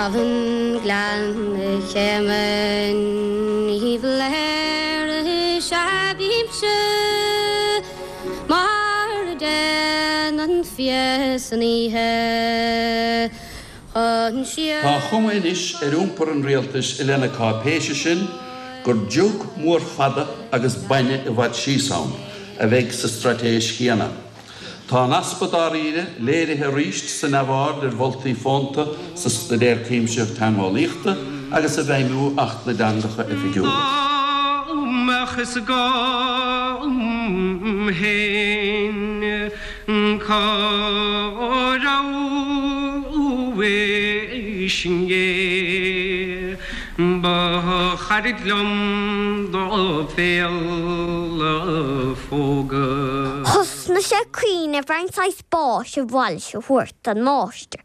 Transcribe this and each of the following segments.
Abhainn Ghleann Chéime Ní Bhléire is ea bímse mar a déanann fia san oíche chun siar. Tá an chuma anois ar iompar an rialtais i leith na cáipéise sin gur jug mór fada agus bainne i bhfad síos ann a bheidh sa straitéis chéanna. Tá an easpa dáiríre léirithe arís sa neamhaird ar mholtaí fónta sa Staidéar Cuimsitheach Teangeolaíochta agus i bhfeidhmiú Acht na dTeangacha Oifigiúla. Dá mbeadh fhios agam fhéin cá rabhais inné, ba chairid liom do bhéal a phógadh. Thosnaigh sé ag cuimhneamh ar an saghas báis a ba mhaith leis a thabhairt don máistir.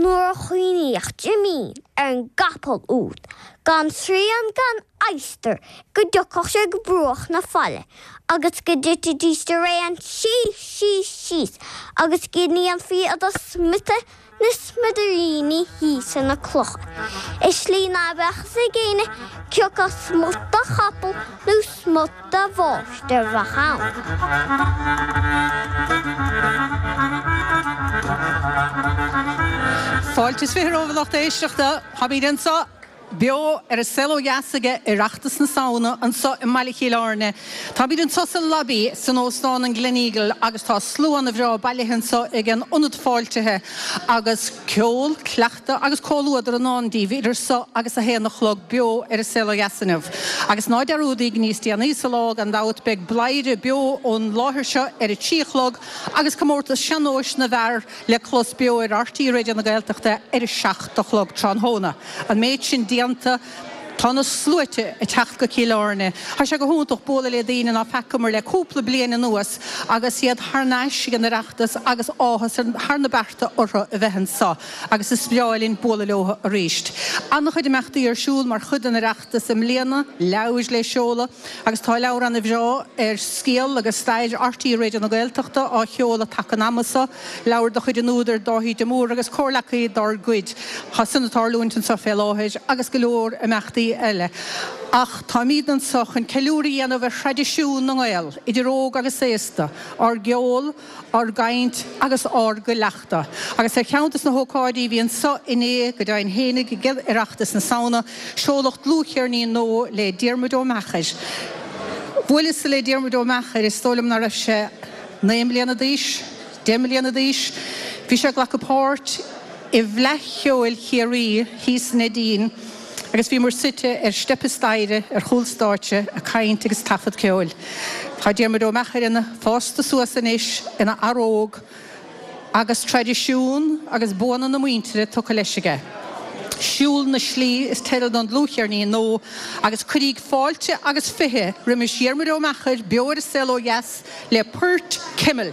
Nuair a chuimhníodh Jimín ar an gcapall úd, gan srian gan adhastar, go dtiocfadh sé go bruach na faille agus go dtitfidís araon síos, síos, síos agus go ndéanfaí iad a smiotadh na smidiríní thíos ar na clocha, i slí ná beadh fhios ag éinne cé acu smut de chapall nó smut de mháistir a bheadh ann. Fáilte is 20 romhaibh a lucht éisteachta. Táimid anseo beo ar an Saol Ó Dheas ag Oireachtas na Samhna anseo i mbaile Chill Airne. Táimid anseo sa lobby san Óstán an Gleneagle agus tá slua ana-bhreá bailithe anseo ag an ionad fáiltithe agus ceol, cleachtadh agus comhluadar i ndán daoibh idir seo agus a haon a chlog beo ar an Saol Ó Dheas inniu. Agus ná dearúdaíg níos déanaí sa lá gan dabht beidh Bladhaire beo ón láthair seo ar a trí a chlog agus comórtas sean-nóis na bhfear le clos beo ar RTÉ Raidió na Gaeltachta ar a 7 a chlog tráthnóna. An méid sin déanta, tá na sluaite ag teacht go Cill Airne. Tá sé go hiontach bualadh le daoine ná feacamar le cúpla bliain anuas agus iad thar n-ais ag an Oireachtas agus áthas thar na bearta orthu a bheith anseo agus is breá linn bualadh leo arís. An-chuid imeachtaí ar siúl mar chuid den Oireachtas i mbliana, leabhair le seoladh agus tá leabhar ana-bhreá ar scéal agus stair RTÉ Raidió na Gaeltachta á sheoladh taca an ama seo. Leabhar de chuid an údair Dáithí de Mór agus comhleacaí dár gcuid. Tá san ag tarlúint anseo fé láthair agus go leor imeachtaí eile. Ach táimíd anseo chun ceiliúradh a dhéanamh ar thraidisiún na nGael, idir óg agus aosta, ár gceol, ár gcaint agus ár gcuileachta. Agus ar cheann des na hócáidí a bhí anseo inné, go deimhin fhéinig, ag Oireachtas na Samhna, seoladh dlúthcheirnín nua le Diarmuid Ó Meachair. Bhuaileas-sa le Diarmuid Ó Meachair, is dóigh liom ná raibh sé 9 mbliana d'aois, 10 mbliana d'aois. Bhí sé ag glacadh páirt i bhFleadh Cheoil Chiarraí thíos i Neidín agus bhíomar suite ar steipe staighre ar chúl stáitse ag caint agus taifead ceoil. Tá Diarmuid Ó Meachair ina fásta suas anois ina fhear óg agus traidisiún agus buanna na muintire tugtha leis aige. Siúl na Slí is teideal don dlúthcheirnín nua agus cuiríg fáilte agus 20 roimis Dhiarmuid Ó Meachair beo ar An Saol Ó Dheas le Port Cimill.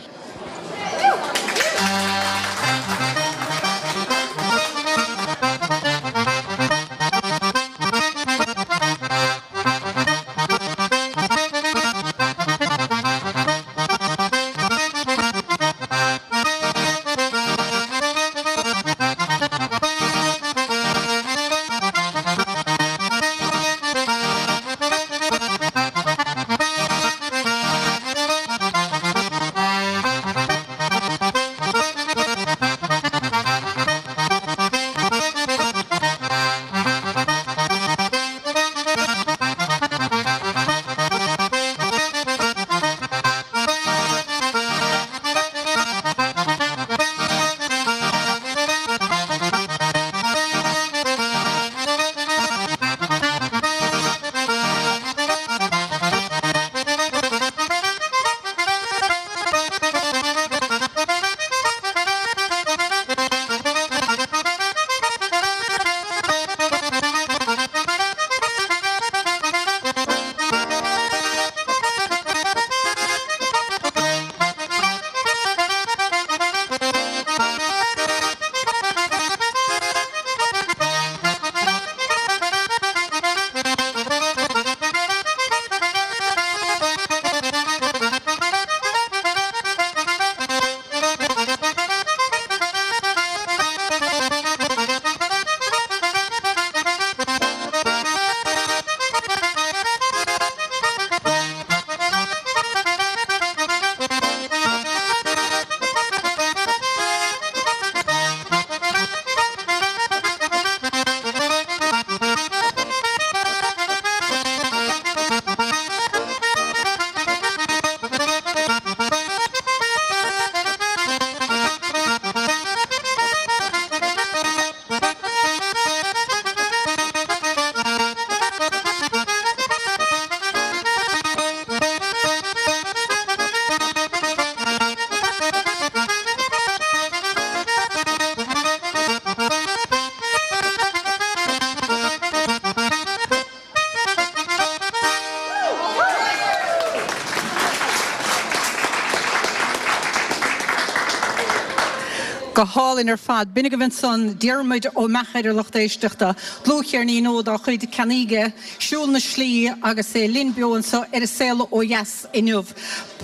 Go hálainn ar fad. B'in agaibh ansan Diarmuid Ó Meachair a lucht éisteachta, dlúthcheirnín nua dá chuid, Ceannaíge, Siúl na Slí agus é linn beo anso ar An Saol Ó Dheas inniu.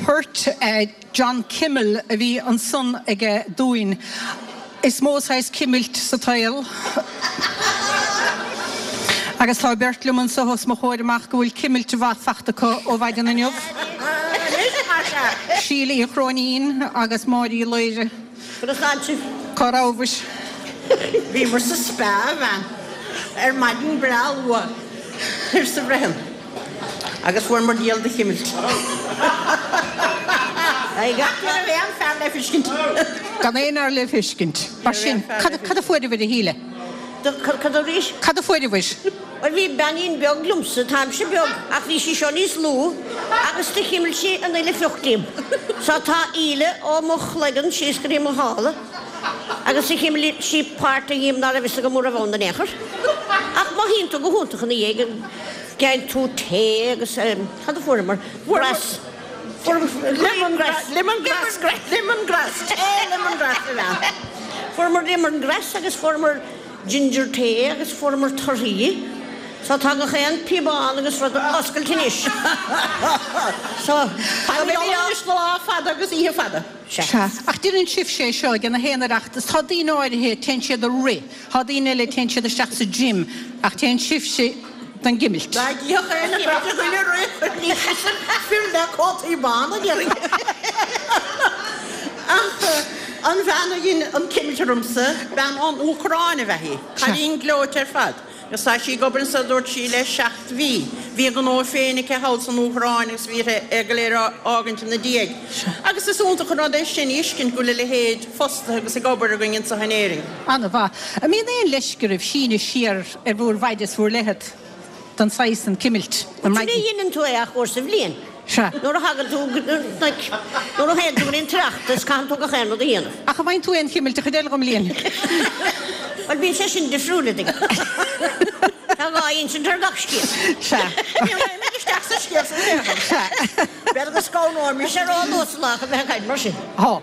Port John Kimmel a bhí ansan aige dúinn. Is mó saghas cimilt sa tsaol. Agus tá beirt liom anso os mo chomhair amach go bhfuil cimilt mhaith fachta acu ó mhaidin inniu. Síle Uí Chróinín agus Máire Uí Laoire. Conas tánn sibh? Cá rabhais? Bhíomar sa Spa, a bhean, ar maidin breá luath, arsa Bhreathan. Agus fuaireamar diabhal de chimilt. Ach ní raibh aon fear le feiscint. Gan aon fhear le feiscint. Mar sin, cad a fuaireabhair, a Shíle? Cad arís? Cad a fuaireabhair? Bhuel, bhí beainín beag liomsa, táimse beag, ach bhí sí seo níos lú, agus do chimil sí an uile phioc díom. So tá íle ó mo chloigeann síos go dtí mo shála. Agus do chimil sí páirt dhíom ná raibh fhios agam a raibh ann in aon chor. Ach mothaíonn tú go hiontach ina dhiaidh. Gheibheann tú tae agus cad a fuaireamar? Grass. Lemongrass. Lemongrass. Lemongrass. Tae lemongrass a bhean. Fuaireamar lemongrass agus fuaireamar ginger tae agus fuaireamar torthaí. So tá gach aon píobán agus rud oscailte anois. So tá mé anois lá fada agus oíche fada. Sea. Ach déanann sibhse é seo ag na haon Oireachtas. Tá daoine áirithe, téann siad ag rith. Tá daoine eile, téann siad isteach sa gym. Ach téann sibhse don gcimilt. Dá gcífeadh éinne beirt againn ag rith, ní fir le cótaí bána, déarfainn. Ach an bhean a dhein an chimilt ormsa, bean ón Úcráin ab ea í. Cailín gleoite ar fad. Agus tá sí ag obair anso, dúirt sí, le seacht mhí. Bhí a gnó féin aici thall san Úcráin agus bhí uirthi é go léir a fhágaint ina diaidh. Agus is iontach an rud é sin a fheiscint go bhfuil a leithéid fostaithe agus ag obair againn anso in Éirinn. Ana-mhaith. An mbíonn aon leisce oraibh síneadh siar ar bhúr bhfaid is bhúr leithead don saghas san cimilt? An Ní dheineann tú é ach uair sa bhliain. Sea. Nuair a thagann tú, like, nuair a théann tú go dtí an tOireachtas, caitheann tú gach aon rud a dhéanamh. Ach an bhfaigheann tú aon chimilt an chuid eile den mbliain? Bhuel, bíonn sé sin difriúil, a dtuigeann. Tá dhá insint ar gach scéal. Sea. Ní raghaimid isteach sa scéal san in aon chor. Sea. B'fhéidir go scanróimis. Tá sé ró-luath sa lá chun bheith ag caint mar sin. Tá.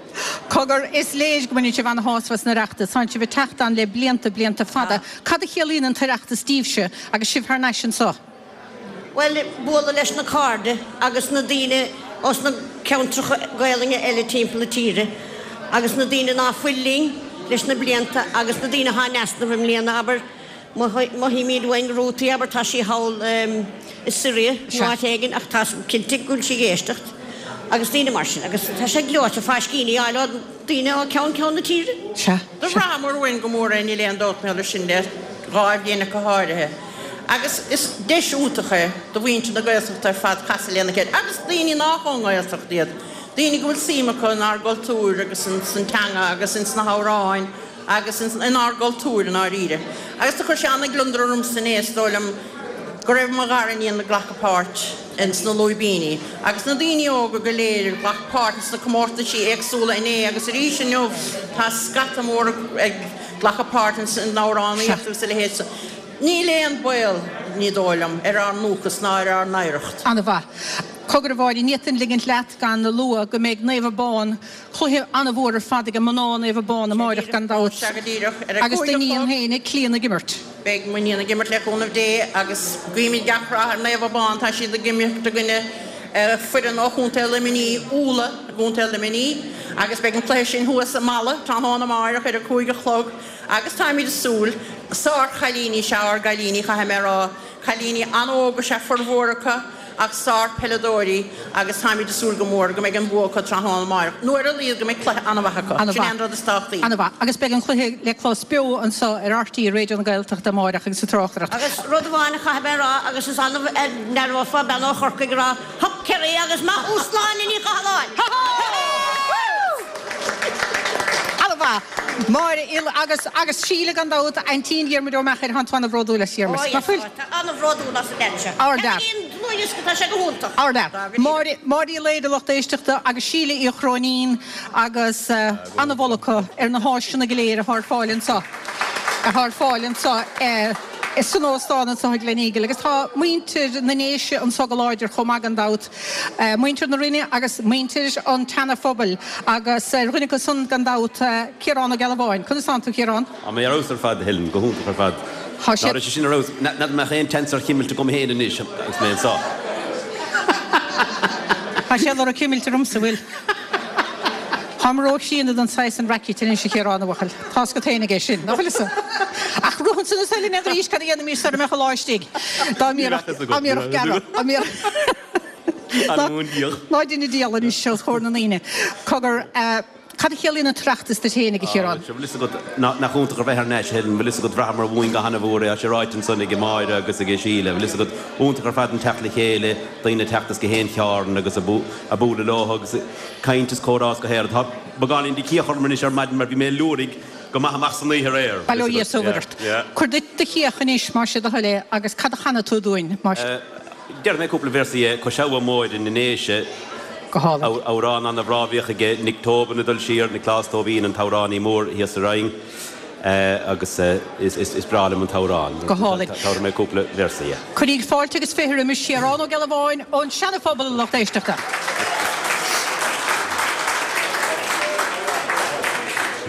Cogar, is léir go mbaineann sibh ana-shásamh as an Oireachtas. Tánn sibh ag teacht ann le blianta, blianta fada. Cad a chiallaíonn an tOireachtas daoibhse agus sibh thar n-ais anso? Bhuel, bualadh leis na cairde agus na daoine ós na ceantracha Gaelainne eile timpeall na tíre agus na daoine ná fuil linn leis na blianta agus na daoine athá in easnamh i mbliana, abair, mothaímid uainn Rútaí, abair, tá sí thall i Syria nó áit éigin ach tá cinnte go bhfuil sí ag éisteacht agus daoine mar sin agus tá sé gleoite fáiscíní a fháil ó daoine ó ceann ceann na tíre. Sea. Do bhraitheamar uainn go mór é, níl aon dabht mar gheall air sin le dhá bhliain ach go háirithe. Agus is deis iontach é do mhuintir na Gaeltachta ar fad casadh lena chéile, agus daoine nách ón nGaeltacht iad, daoine go bhfuil suim acu inár gcultúr agus ins an teanga agus ins na hamhráin agus ins inár gcultúr i ndáiríre. Agus do chuir sé ana-ghliondar ormsa inné, is dóigh liom, go raibh mo ghariníon ag glacadh páirt ins na lúibíní, agus na daoine óga go léir a ghlac páirt ins na comórtaisí éagsúla inné agus arís inniu, tá scata mór ag glacadh páirt ins an amhránaíocht agus a leithéid. Níl aon baol, ní dóigh liom, ar ár ndúchas ná ar ár n-oidhreacht. Ana-mhaith. Cogar a Mháire, ní fhéadfainn ligint leat gan a lua go mbeidh Naomh Abán, cluiche ana-mhór ar fad ag mná Naomh Abán amáireach gan dabht. Sea go díreach, ar a Agus cúig a d'iníon chlog. féin, Clíona ag imirt. Beidh m'iníon ag imirt le cúnamh Dé agus guímid gach rath ar Naomh Abán, tá siad ag imirt i gcoinne foireann ó Chontae Luimnigh, Úlla i gContae Luimnigh, agus beidh an cluiche sin thuas i Mala tráthnóna amáireach ar a cúig a chlog. Agus táimid ag súil. Sár-chailíní is ea ár gcailíní, caithfidh mé a rá. Cailíní an-óg is ea formhór acu ach sár-pheileadóirí agus táimid ag súil go mór go mbeidh an bua acu tráthnóna amáireach, nó ar a laghad go mbeidh cluiche an-mhaith acu. Sin é an rud is tábhachtaí. An-mhaith. Agus beidh an cluiche le clos beo anseo ar RTÉ Raidió na Gaeltachta amáireach agus sa tráchtaireacht. Agus rud amháin a chaithfidh mé a rá, agus is annamh a n-aireofá bean ó Chorcaigh ag rá, Hup Kerry agus maith thú Sláine Ní Chathalláin! An-mhaith. Máire Uí agus agus Síle gan dabht, aintín Dhiarmuid Ó Meachair, thánn tú ana-bhródúil as Diarmuid. Ó Ná yes, fuil? tá ana-bhródúil as an leaid seo. Ardfhear. Ceannaigí an dlúthdhiosca, tá sé go hiontach. Ardfhear. Máire, Máire Uí Laoire, lucht éisteachta, agus Síle Uí Chróinín agus ana-mholadh acu ar na háiseanna go léir atá ar fáil anseo, atá ar fáil anseo. San óstán anseo i Gleneagle agus tá muintir na nDéise anseo go láidir chomh maith gan dabht, muintir na Rinne agus muintir an tSeana-Phobail agus ar dhuine acu san gan dabht, Ciarán Ó Gealbháin. Conas tánn tú, Ciarán? Tá mé ar fheabhas ar fad, a Helen, go hiontach ar fad. Tá sé. Ná raibh sé sin ar fheabhas? N'fheadar an mbeadh aon tseans ar chimilt agam féin anois agus mé anseo. Tá sé ag lorg cimilt ormsa, bhfuil? Táim ró-chríonna don saghas san racket anois, a Chiaráin, a bhuachaill. Tá's agat féin aige sin, nach bhfuil fhios agat? Ach rothann san is eile n'fheadar arís cad a dhéanfaimis sara mbeadh an lá istigh. Dá mbíodh, dá mbíodh gearradh, dá mbíodh. Ná dein an diabhal anois os comhair na ndaoine. Cogar, cad a chiallaíonn an tOireachtas duit féin, a Chiaráin? Bhfuil fhios agat, nach iontach a bheith thar n-ais, a Helen, bhfuil fhios agat, bhraitheamar uainn go hana-mhór é, tá sé ráite ansan ag Máire agus ag Síle, bhfuil fhios agat, iontach ar fad an teacht le chéile, daoine ag teacht as gach aon chearn agus ag bualadh leo agus caint is comhrá is go haer. Tá beagáinín de chiach orm anois ar maidin mar bhí mé ag liúirigh go maith amach san oíche aréir. Bail ó Dhia is ó Mhuire ort. Cuir duit do chiach anois más é do thoil é agus cad a chanfaidh tú dúinn más. Déarfaidh mé cúpla véarsa dhe Cois Abha Móire na nDéise. Go hálainn. Amhrán ana-bhreá a bhíodh aige Nick Tobin ag dul siar, Nioclás Tóibín an t-amhránaí mór thíos sa Rinn agus is breá liom an t-amhrán. Go hálainn. Tabharfaidh mé cúpla véarsa dhe. Cuiríg fáilte agus fiche roimis Chiarán Ó Gealbháin ón Seana-Phobal a lucht éisteachta.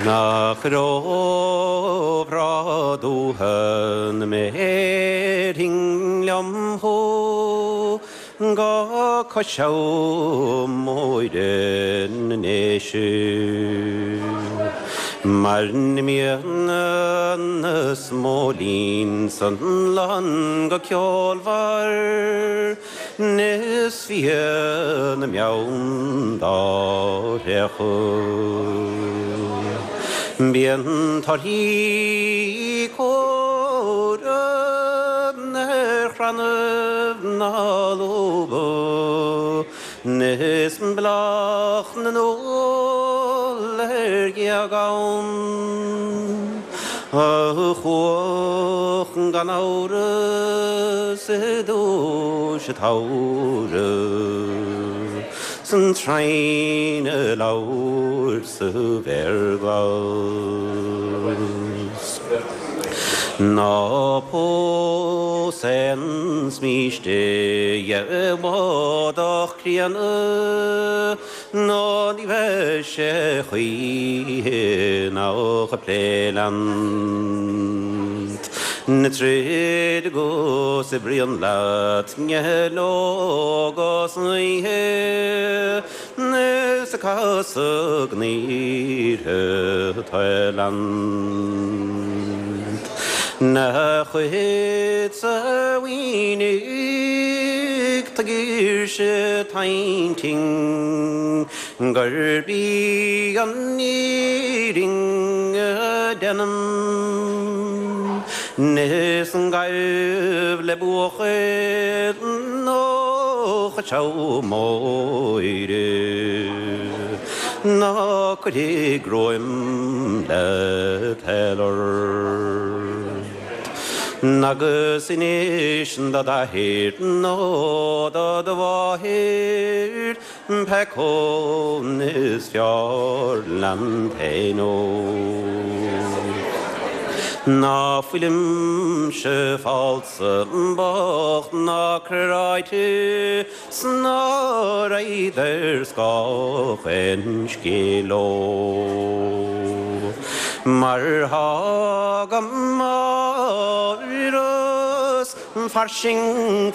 Nach róbhreá dúiche 'na mbéarfainn liom thú Go Cois Abha Móire na nDéise Mar ní mbíonn na smóilín san lann go ceolmhar Is bhíonn na meann dá bhféachadh. Bíonn torthaí cumhra ar chrannaibh na lúba Is bláth na n-úll ar ghéag ann. A chuach gan amhras i dtús an tsamhraidh 's an traoin ag labhairt sa bhféar glas. Ná pós aon smíste dhe mhodach críonna Nó ní bheidh sé choíche nach ag plé leat. Na troid agus oibríonn leat ló agus oíche is ag casadh gnaoithe talland. Na chuid sa mhínigh tá girse t'intinn gurb í an fhírinne a deinim Is gabh le buachaill ó Chois Abha Móire Ná cuirfidh greim le toil ort. Agus inis do d'athair nó do do mháthair pé acu is fearr leat fhéin óg. Ná fuilimse falsa bocht ná cráite 's ná raghad ar scáth aon scéil leo. Mar thá go mór is fairsing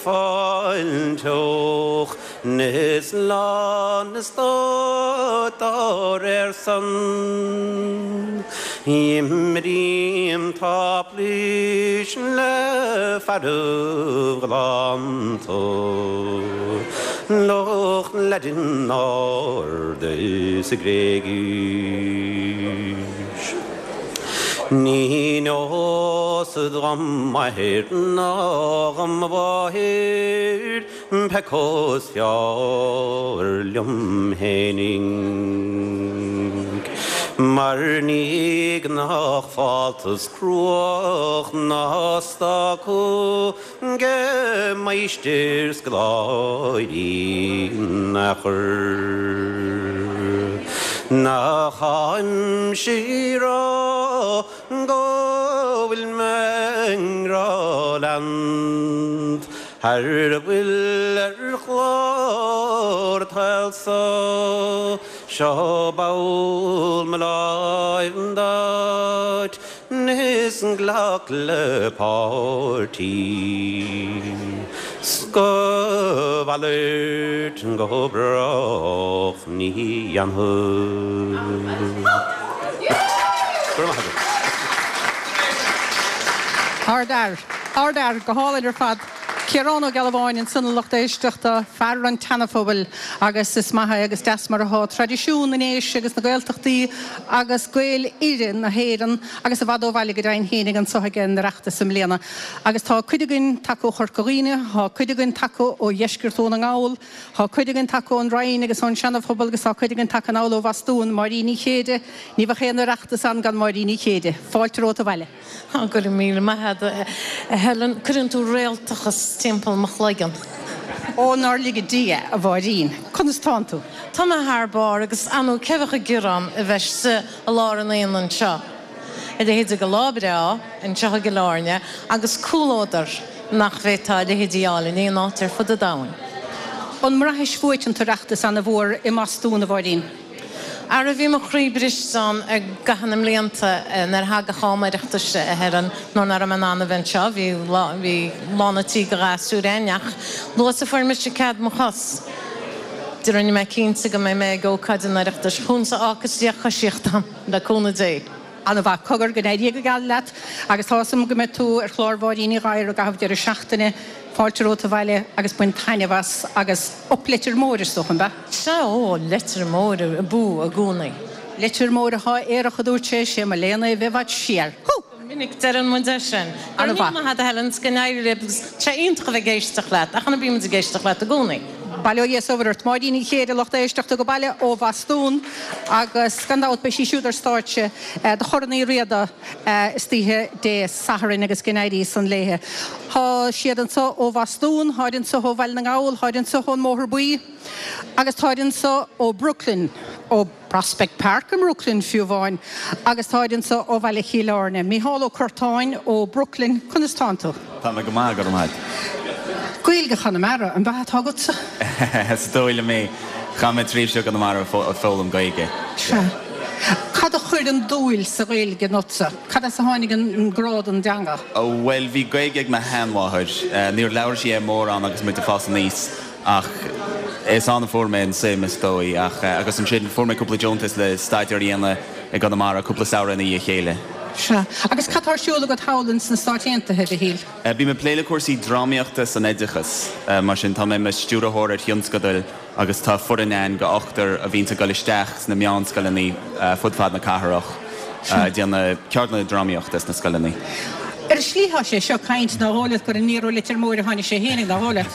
fáilteach Is lán eastát dá réir san. Imrím táiplís le fearaibh galánta, lucht Laidin ard is Gréigis. Ní neosad dhom m'athair ná dhom mo mháthair, Pé acu is fearr liom fhéinig Mar ní gnách fáltas cruach ná stáca 'ge máistir scoláirí in aon chor. Nach aimsir rá go bhfuil mé i ngrá leat Thar a bhfuil ar chlár an tsaoil so Seo ball mo láimh duit Is glac le páirt í 's go mhalairt go brách ní dhéanfad. Go raibh maith agat. Ardfhear. Ardfhear. Go hálainn ar fad. Ciarán Ó Gealbháin ansan a lucht éisteachta, fear an tSeanaphobail agus is maith é agus deas mar athá traidisiún na nDéise agus na Gaeltachtaí agus Gaeil uile na hÉireann agus i bhfad ó bhaile go deimhin fhéinig anso ag an Oireachtas i mbliana. Agus tá cuid againn tagtha ó Chorca Dhuibhne, tá cuid againn tagtha ó dheisceart Dhún na nGall, tá cuid againn tagtha ón Rinn agus ón Seanaphobal agus tá cuid againn tagtha anall ó Bhostún, Máirín Ní Chéide, ní bheadh aon Oireachtas ann gan Máirín Ní Chéide. Fáilte romhat abhaile. Á, go raibh míle maith agat, a Helen. Cuireann tú réaltachas timpeall mo chloigeann. Ó, nár lige Dia, a Mháirín. Conas tánn tú? Tá mé thar barr, agus ar ndóigh, cé bheadh ag gearán a bheith istigh i lár an aonaigh anseo? A leithéid de lá breá anseo i gCill Airne agus comhluadar nach bhféadfá a leithéid a fháil in aon áit ar fud an domhain. An mbraithis uait an tOireachtas ana-mhór i mBostún, a Mháirín? Ara bhí mo chroí briste ann i gcaitheamh na mblianta nuair a thagadh am Oireachtais, a Helen, nuair nach raibh mé in ann a bheith anseo. Bhí bhí lán an tí de ghasúir againn ach luath is a fuair mise cead mo chos, de rinne mé cinnte go mbeidh mé ag ócáid an Oireachtais. Chugamsa ácas Dia coisíocht dom, le cúnamh Dé. An-mhaith. Cogar, go n-éirí go geal leat agus tá 'fhios a'm go mbeidh tú ar chlár Mháirín Uí Ghadhra i gcaitheamh deireadh seachtaine. Fáilte romhat abhaile agus bain taitneamh as agus up Leitir Móir is dócha, an ea? Sea, ó, Leitir Móir abú i gcónaí. Leitir Móir atá aerach a dúirt sé, sé mo léan é bheith i bhfad siar. Hú! Go minic deireann muid é sin. Go raibh míle maith agat a Helen is go n-éirí libh agus tá sé iontach a bheith ag éisteacht leat ach ná bíonn muid ag éisteacht leat i gcónaí. Bail ó Dhia is ort. Máirín Uí Chéide, lucht éisteachta go baile ó Bhostún agus gan dabht beidh sí siúd ar stáitse do Chorn Uí Riada istoíche Dé Sathairn agus go n-éirí san léithe. Tá siad anso ó Bhostún, táid anso ó Bhaile na nGall, táid anso ón mBóthar Buí agus táid anso ó Brooklyn, ó. Prospect Park i mBrooklyn fiú amháin agus táid anso ó bhaile Chill Airne. Mícheál Ó Curtáin ó Brooklyn, conas tánn tú? Tá mé go maith, go raibh maith agat. Gaeilge Chonamara, an ea atá agatsa? Is dóigh liom é. Chaith mé tréimhse i gConamara ag foghlaim Gaeilge. Sea. Cad a chuir an dúil sa Ghaeilge ionatsa? Cad as a tháinig an grá don dteanga? Bhuel, bhí Gaeilge ag mo sheanmháthair. Níor labhair sí é mórán agus muid ag fás aníos. Ach is ann a fuair mé an suim, is dóigh. Ach, agus ansin fuair mé cúpla deontas le staidéar a dhéanamh i gConamara, cúpla samhradh ina dhiaidh a chéile. Sea. Agus cad tá ar siúl agat thall ins na Stáit Aontaithe, a Mhichíl? Bím ag plé le cúrsaí drámaíochta san oideachas. Mar sin, tá mé i mo stiúrthóir ar thionscadail agus tá foireann ann de ochtar a bhíonns ag dul isteach sna meánscoileanna fud fad na cathrach ag déanamh ceardlanna drámaíochta sna scoileanna. Ar shlí tá sé seo ag caint nár dhóigh leat gur aniar ó Leitir Móir a tháinig sé fhéinig, nár dhóigh leat?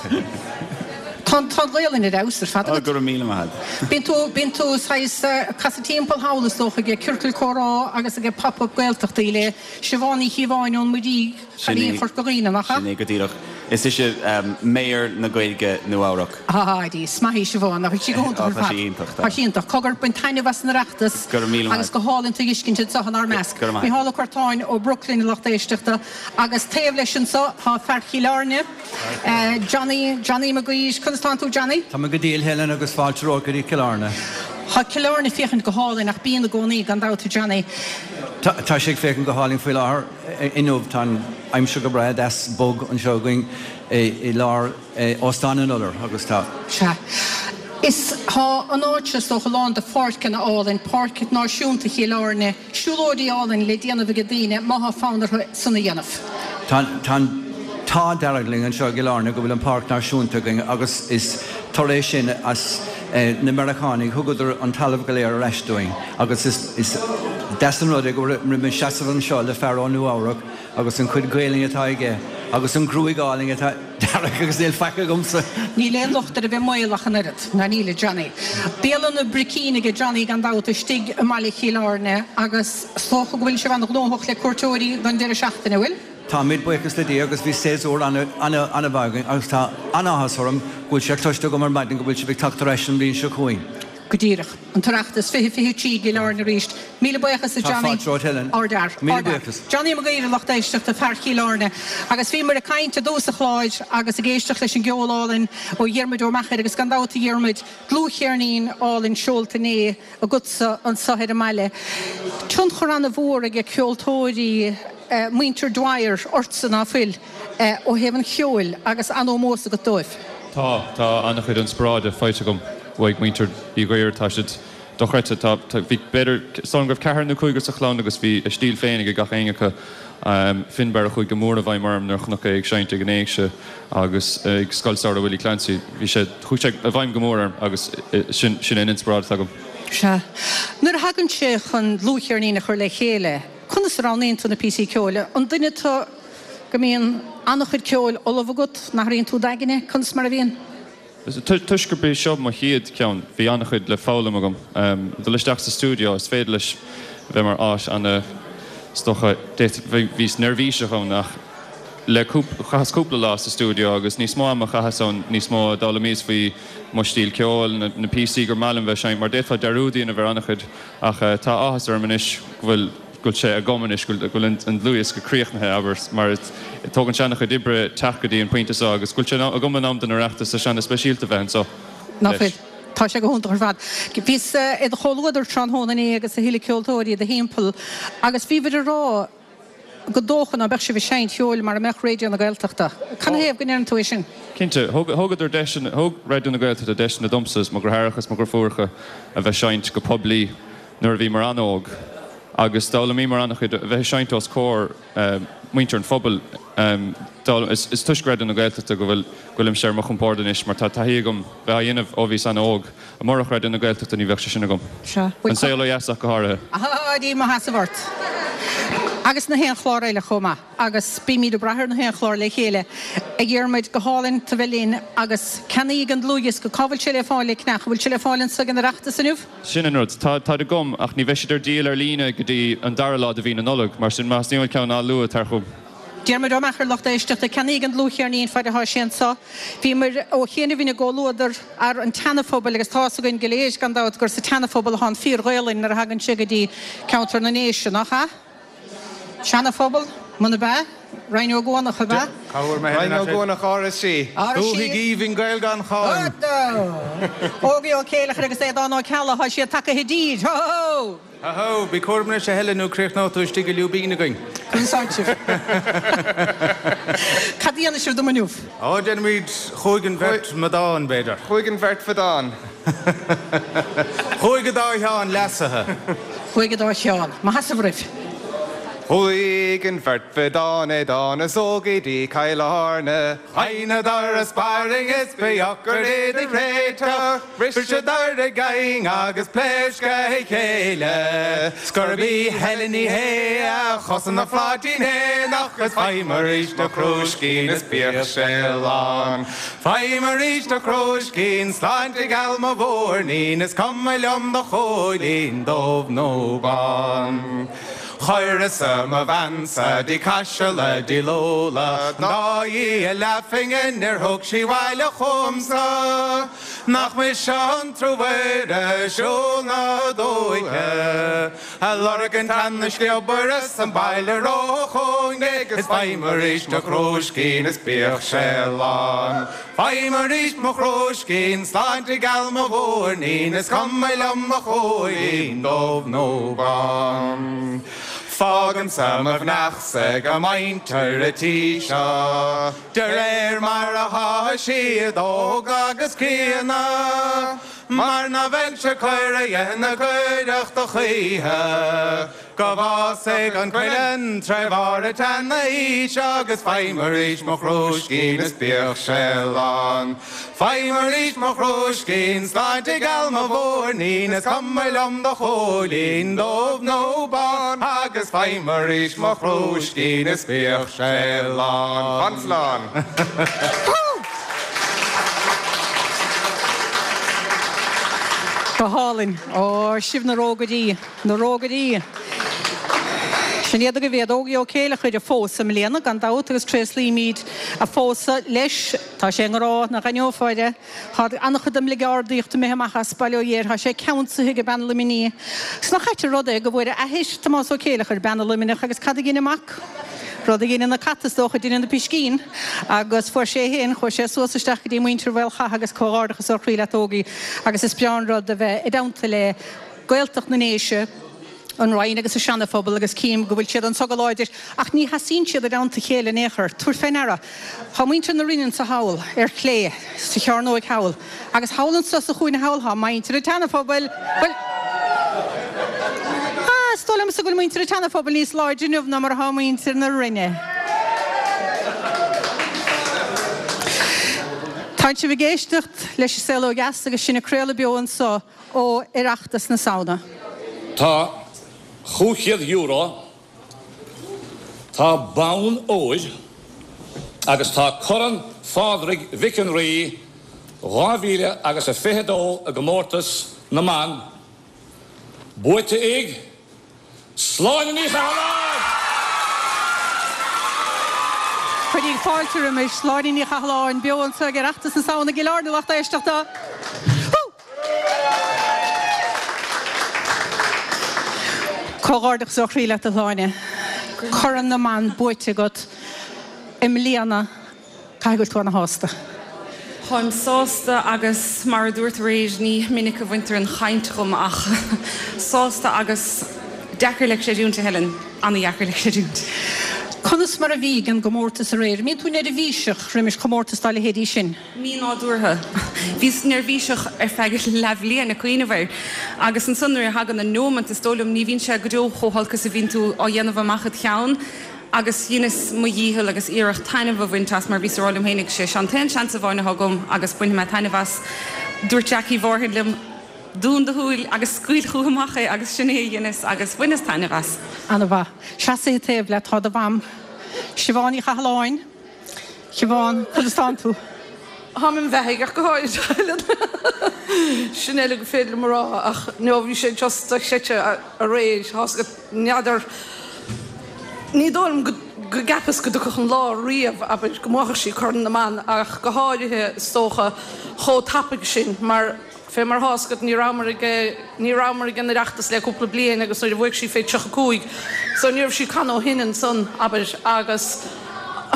Tá an Ghaolainn ar fheabhas ar fad agat. Go raibh míle maith agat. Bíonn tú, bíonn tú saghas ag casadh timpeall thall is dócha ag ciorcail comhrá agus ag pop-up Gaeltachtaí le Siobhán Ní Chíobháin ón Muirígh, Cailín Chorca Dhuibhne, nach ea? Sin é go díreach. Is ise Mayor na Gaeilge Nua-Eabhrac. Ah, is maith í Siobhán, nach bhfuil sí go hiontach ar fad? Tá sí iontach, tá. Tá sí iontach. Cogar, bain taitneamh as an Oireachtas. Go raibh míle maith. Agus go hálainn tú a fheiscint anseo inár measc. Go raibh maith. Mícheál Ó Curtáin ó Brooklyn, a lucht éisteachta. Agus taobh leis anseo tá fear Chill Airne, Johnny, Johnny Mac Gaois. Conas tánn tú, Johnny? Tá mé go diail, Helen, agus fáilte romhat go dtí Cill Airne. Tá Cill Airne ag féachaint go hálainn, ach bíonn i gcónaí, gan dabht, a Johnny. Tá sé ag féachaint go hálainn faoi láthair. Inniu tá an aimsir go breá deas bog anseo againn i lár Óstán an Iolair agus tá. Sea. Is tá an áit seo is dócha lán de pháirceanna álainn, Páirc Náisiúnta Chill Airne, siúlóidí álainn le déanamh ag daoine má tá fonn orthu san a dhéanamh. Tá tá an t-ádh dearg linn anseo i gCill Airne go bhfuil an Páirc Náisiúnta againn agus is toradh é sin as na Meiriceánaigh, thugadar an talamh go léir ar ais dúinn agus is is deas an rud é go bhfuil mé ag seasamh anseo le fear ó Nua Eabhrac agus an chuid Gaelainne atá aige agus an ghruaig álainn atá dearg agus níl faic agamsa. Níl aon locht ar a bheith maol ach an oiread, ná níl, a Johnny. Bialann an Bhricín aige Johnny gan dabht istigh i mbaile Chill Airne agus is dócha go bhfuil sibh an-ghnóthach le cuairteoirí don deireadh seachtaine, an bhfuil? Táimid, buíochas le Dia, agus bhí séasúr an-mhaith againn agus tá an-áthas orm go bhfuil sé cloiste agam ar maidin go bhfuil sibh ag teacht ar ais an bhliain seo chugainn. Go díreach. An tOireachtas 2023 i gCill Airne arís. Míle buíochas a Tá Johnny. fáilte romhat Helen. Ardfhear. Míle Ardfhear. buíochas. Johnny Mac Gaora, lucht éisteachta, fear Chill Airne. Agus bhíomar ag caint i dtús an chláir agus ag éisteacht leis an gceol álainn ó Dhiarmuid Ó Meachair agus gan dabht a Dhiarmuid, dlúthcheirnín álainn seolta inné agatsa anseo ar an mbaile. Tionchar ana-mhór ag ceoltóirí muintir Dwyer ortsa, ná fuil, ó thaobh an cheoil agus an-ómós agat dóibh. Tá, tá an-chuid inspioráide faighte agam uaidh muintir Uí Dhuibhir, tá siad dochreidte. Tá, tá, bhí b'fhéidir, is dóigh liom go raibh ceathrar nó cúigear sa chlann agus bhí a stíl féin ag gach éinne acu. Finbarr a chuaigh go mór i bhfeidhm orm nuair a chonac é ag seinnt ag an Éigse agus ag Scoil Samhraidh Willie Clancy. Bhí sé, chuaigh sé i bhfeidhm go mór orm agus sin, sin an inspioráid atá agam. Sea. Nuair a thagann sé chun dlúthcheirnín a chur le chéile, conas a roghnaíonn tú na píosaí ceoil? An duine tú go mbíonn an-chuid ceoil ullamh agat, n-athraíonn tú d'aigne? Conas mar a bhíonn? Toisc gurb é seo mo chéad cheann, bhí an-chuid le foghlaim agam. Dul isteach sa stiúideo, is féidir leis bheith mar áit ana, is dócha, bhíos neirbhíseach ann ach le chaitheas cúpla lá sa stiúideo agus níos mó ama a chaitheas ann, níos mó a d'fhoghlaimíos faoi mo stíl ceoil, na píosaí gur maith liom bheith ag seinnt, mar d'fhéadfá dearúd a dhéanamh ar an-chuid ach tá áthas orm anois go bhfuil. go bhfuil sé agam anois, go bhfuil an dlúthdhiosca críochnaithe, abair, mar tógann sé an-chuid oibre teacht go dtí an pointe seo agus go bhfuil sé agam in am don Oireachtas, tá sé ana-speisialta bheith anseo Ná fuil? leis. Tá sé go hiontach ar fad. Bhíos i do chomhluadar tráthnóna inné agus a thuilleadh ceoltóirí i do thimpeall agus bhíobhair ag rá gur dócha ná beadh sibh ag seinnt cheoil mara mbeadh Raidió na Gaeltachta. Canathaobh go ndeireann tú é sin? Cinnte. Thógadar deiseanna, thóg Raidió na Gaeltachta deiseanna domsa is mo dheartháireacha is mo dheirfiúracha a bheith ag seinnt go poiblí. nuair a bhíomar an-óg agus d'fhoghlaimíomar an-chuid, a bheith ag seinnt os comhair muintir an phobail. Is toisc Raidió na Gaeltachta go bhfuil, go bhfuilimse ar mo chompord anois mar tá taithí agam bheith á dhéanamh ó bhíos an-óg. Murach Raidió na Gaeltachta ní bheadh sé sin agam. An Saol Ó Dheas ach go háirithe. Ahá, dí mo sheasamh ort. Agus na haon chlár eile chomh maith. Agus bímid ag brath ar na haon chlár le chéile. A Dhiarmuid, go hálainn tú bheith linn agus ceannaígí an dlúthdhiosca. Cá bhfuil sé le fáil le ceannach? An bhfuil sé le fáil anso ag an Oireachtas inniu? Sin an rud. Tá, táid agam, ach ní bheidh siad ar díol ar líne go dtí an dara lá de mhí na Nollag, mar sin más mian leat ceann a fháil luath, tar chugam. Diarmuid Ó Meachair, lucht éisteachta, ceannaígí an dlúthcheirnín faid atá sé anso. Bhíomar ó chianaibh ina gcomhluadar fhear an tSeana-Phobail agus tá's againn go léir, gan dabht, gur sa tSeana-Phobal atá an fíor-Ghaolainn nuair a thagann sé go dtí ceantar na nDéise, nach ea? Seana-Phobal, muna b'ea? Rinn Ó gCuanach, ab ea? Cá bhfuair mé Rinn Ó gCuanach, RSC. Dúthaigh aoibhinn Gael gan cháim. Ógie Ó Céileachair agus Aodhán Ó Ceallaigh, tá siad tagtha i dtír! Ho ho! Ho ho! Bí cúramach anois a Helen nó críochnóidh tú istigh i lúibín againn. Conas atá sibh? Cad a dhéanfaidh sibh dom inniu? Ó, déanfaimid Chuaigh an bheirt mheadán, b'fhéidir. Chuaigh an bheirt mheadán. Chuaigh an dá Sheán leasaithe. Chuaigh an dá Sheán. Mo sheasamh oraibh. Chuaigh an bheirt mheadán Aodhán is Ógie dtí Cill Airne. Sheinneadar a sparring is ba dheacair iad a réiteach. Bhriseadar a gcaing agus pléasc a chéile. 'S gurb í Helen Ní Shé a chosain an phláitín éanach is faighim arís mo chrúiscín is bíodh sé lán. Faighim arís do chrúiscín, sláinte gheal mo mhúirnín, is cuma liom do chóilín, dubh nó bán. Chuireas-sa mo bhean-sa dtí Caiseal a díol úlla, an dá dhi a leathphingin níor thug sí abhaile chugamsa. Nach mise an truamhéir a siúl na dúiche, A lorg an tseana sliobair as an baile róchúinge Is faighim arís mo chrúiscín is bíodh sé lán. Faighim arís mo chrúiscín, sláinte gheal mo mhúirnín, Is cuma liom mo chóilín, dubh nó bán. Fágaimse mo mhnaoi-sa ag a muintir a' tí seo. De réir mar athá siad óg agus críonna, Mar ná bheinnse coir a na coireachta choíche, Go bhfásfaidh an cuileann tré bharr a tseanaois Agus faighim arís mo chrúiscín is bíodh sé lán. Faighim arís mo chrúiscín, sláinte gheal mo mhúirnín, Is cuma liom do chóilín, dubh nó bán, Agus faighim arís mo chrúiscín is bíodh sé lán. Fan slán. Go hálainn. Ó, sibh na rógairí, na rógairí. Sin iad agaibh iad, Ógie Ó Céileachair a phós i mbliana, gan dabht, agus tréaslaímid a phósadh leis. Tá sé i ngrá, nach aithneofá air é. Tá an-chuid den mbligeardaíocht imithe amach as, bail ó Dhia air. Tá sé ceansaithe ag bean Luimnigh. Is nach ait an rud é go bhfuair a athair, Tomás Ó Céileachair, bean Luimneach agus cad a dhein an mac? Rud a dheineann na cait is dócha, deineann na piscín. Agus fuair sé féin, chuaigh sé suas isteach go dtí muintir Mhaolchatha agus comhghairdeachas ó chroí leat Ógie agus is breá an rud a bheith i dteannta le Gaeltacht na nDéise, an Rinn agus an Seana-Phobal agus cím go bhfuil siad anso go láidir ach ní sheasaíonn siad i dteannta a chéile in aon chor. Tabhair fé ndeara, tá muintir na Rinne anso thall, ar chlé, sa chearnóig thall, agus thall anso sa chúinne thall tá muintir an tSeana-Phobail. Bhuel, ah, is dóigh liomsa go bhfuil muintir an tSeana-Phobail níos láidre inniu ná mar atá muintir na Rinne. Tánn sibh ag éisteacht leis An Saol Ó Dheas agus sinn ag craoladh beo anso ó Oireachtas na Samhna. Tá €500, tá bonn óir agus tá Corn Phádraig Mhic an Rí 2000 agus a 22 i gcomórtas na mban buaite ag Sláine Ní Chathalláin! Cuiríg fáilte roimis, Sláine Ní Chathalláin, beo anseo ag Oireachtas na Samhna i gCill Airne, lucht éisteachta. Comhghairdeachas ó chroí leat a Shláine. Corn na mBan buaite agat i mbliana. Caithfidh go bhfuil tú ana-shásta. Táim sásta agus mar a dúirt aréir, ní minic a bhaintear an chaint dhom ach sásta agus deacair le creidiúint, a Helen, ana-dheacair le creidiúint. Conas mar a bhí ag an gcomórtas aréir? Mbíonn tú neirbhíseach roimis chomórtas dá leithéidí sin? Mí-nádúrtha. Bhíos neirbhíseach ar feadh leathbhliain ag cuimhneamh air agus ansan nuair a thagann an neomant is dóigh liom ní bhíonn sé go deo chomh holc is a bhíonn tú á dhéanamh amach id cheann. Agus dheineas mo dhícheall agus iarracht taitneamh a bhaint as mar bhíos a rá liom fhéinig, sé seo an t-aon seans amháin atá agam agus bainfidh mé taitneamh as. Dúirt Jackie Mhárthain liom, Dún do shúil agus scaoil chucu amach é agus sin é a dheineas agus bhaineas taitneamh as. Ana-mhaith. Seasaithe taobh leat tá do mham, Siobhán Ní Chathalláin. Siobhán, conas tánn tú? Táim im bheathaidh ach go háirid, a Helen. Sin uile gur féidir liom a rá ach no bhí sé just dochreidte aréir. Tá's agat, n'fheadar, ní dóigh liom go gceapas go dtiocfadh an lá riamh, abair, go mbuafadh sí Corn na mBan ach go háirithe is dócha chomh tapaidh sin mar Fé mar thá's agat ní rabhamar ag ní rabhamar ag an Oireachtas le cúpla bliain agus nuair a bhuaigh sí fé 35 so ní raibh sí ag canadh ó shin ansan, abair, agus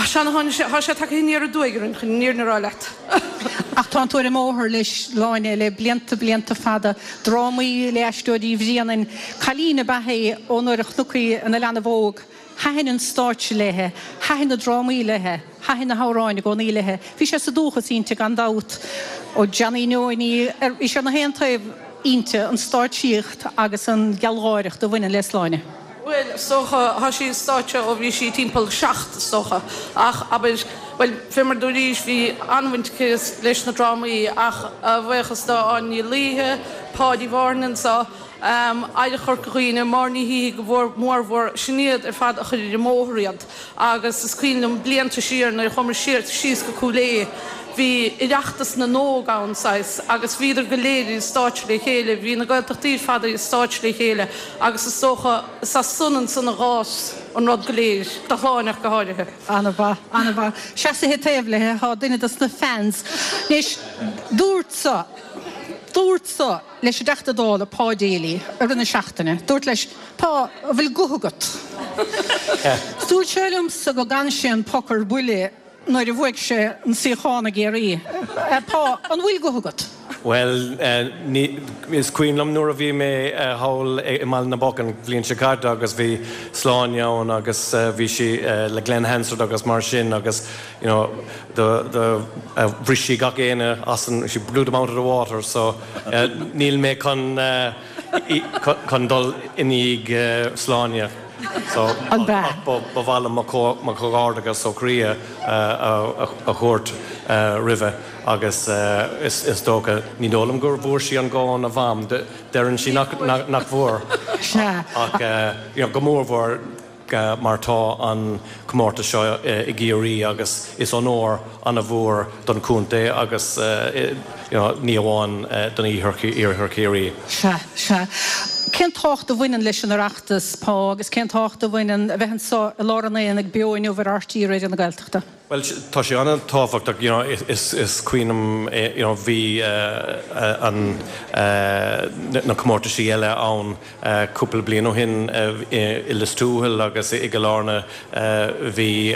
sea tháinig sé, thá sé tagtha aniar aduaidh orainn chun an fhírinne a rá leat. Ach tánn tú ar an mbóthar le Sláine le blianta, blianta fada, drámaí le Aisteoirí Bhréanainn, cailín ab ea í ó nuair a chonac í ina leanbh óg. Thaitin an stáitse léithe, thaitin na drámaí léithe, thaitin na hamhráin i gcónaí léithe. Bhí sé sa dúchas inti gan dabht. Ó Johnny Neoiní, bhí sé na haon taobh inti, an stáitsíocht agus an ghealgháireacht a bhaineann le Sláine. Bhuel, is dócha, thá sí ar stáitse ó bhí sí timpeall seacht, is dócha. Ach, abair, bhuel, fé mar dúraís, bhí an-bhaint aici leis na drámaí ach a bhuíochas do Áine Ní Laoithe, Páidí Mhárthain anso, Oidhreacht Chorca Dhuibhne, Máire Ní Shíthigh go mórmhór, sin iad ar fad a chuir ar an mbóthar iad agus is cuimhin liom blianta siar nuair a chuamar siar síos go Cúil Aodha bhí Oireachtas na nÓg ann saghas agus bhíodar go léir ar an stáitse le chéile, bhí na Gaeltachtaí ar fad ar an stáitse le chéile agus is dócha is as san ansan a dh'fhás an rud go léir, do Shláine ach go háirithe. Ana-mhaith, ana-mhaith. Seasaithe taobh léi thá duine dos na fans. Anois, dúrt-sa, dúrt-sa. leis an dTeachta Dála, Pa Daly, i rith na seachtaine. Dúrt leis, Pa, an bhfuil guth agat? Dúirt sé liomsa go gcan sé an Poc ar Buile nuair a bhuaigh sé an suíochán i gCiarraí. Pa, an bhfuil guth agat? Bhuel, ní, is cuimhin liom nuair a bhí mé thall i mBaile na bPoc an bhliain seo caite agus bhí Sláine ann agus bhí sí le Glen Hansard agus mar sin agus you know do, do bhris sí gach éinne as an, she blew them out of the water so níl mé chun, chun dul i ndiaidh Sláine so ach ba mhaith liom mo chomhghairdeachas ó chroí a thabhairt roimhe agus is dócha, ní dóigh liom gur bhfuair sí an guth óna mham, deireann sí nach bhfuair ach you know go mórmhór. mar tá an comórtas seo i gCiarraí agus is onóir ana-mhór don chontae agus you know ní amháin don Iarthar Chiarraí. Sea, sea. Cén tábhacht a bhaineann leis an Oireachtas, Pa, agus cén tábhacht a bhaineann a bheith anseo i lár an aonaigh beo inniu ar RTÉ Raidió na Gaeltachta? Bhuel, tá sé an-tábhachtach, you know, is cuimhin liom, you know, bhí an, na comórtaisí eile ann cúpla bliain ó shin i Lios Tuathail agus i gCill Airne, bhí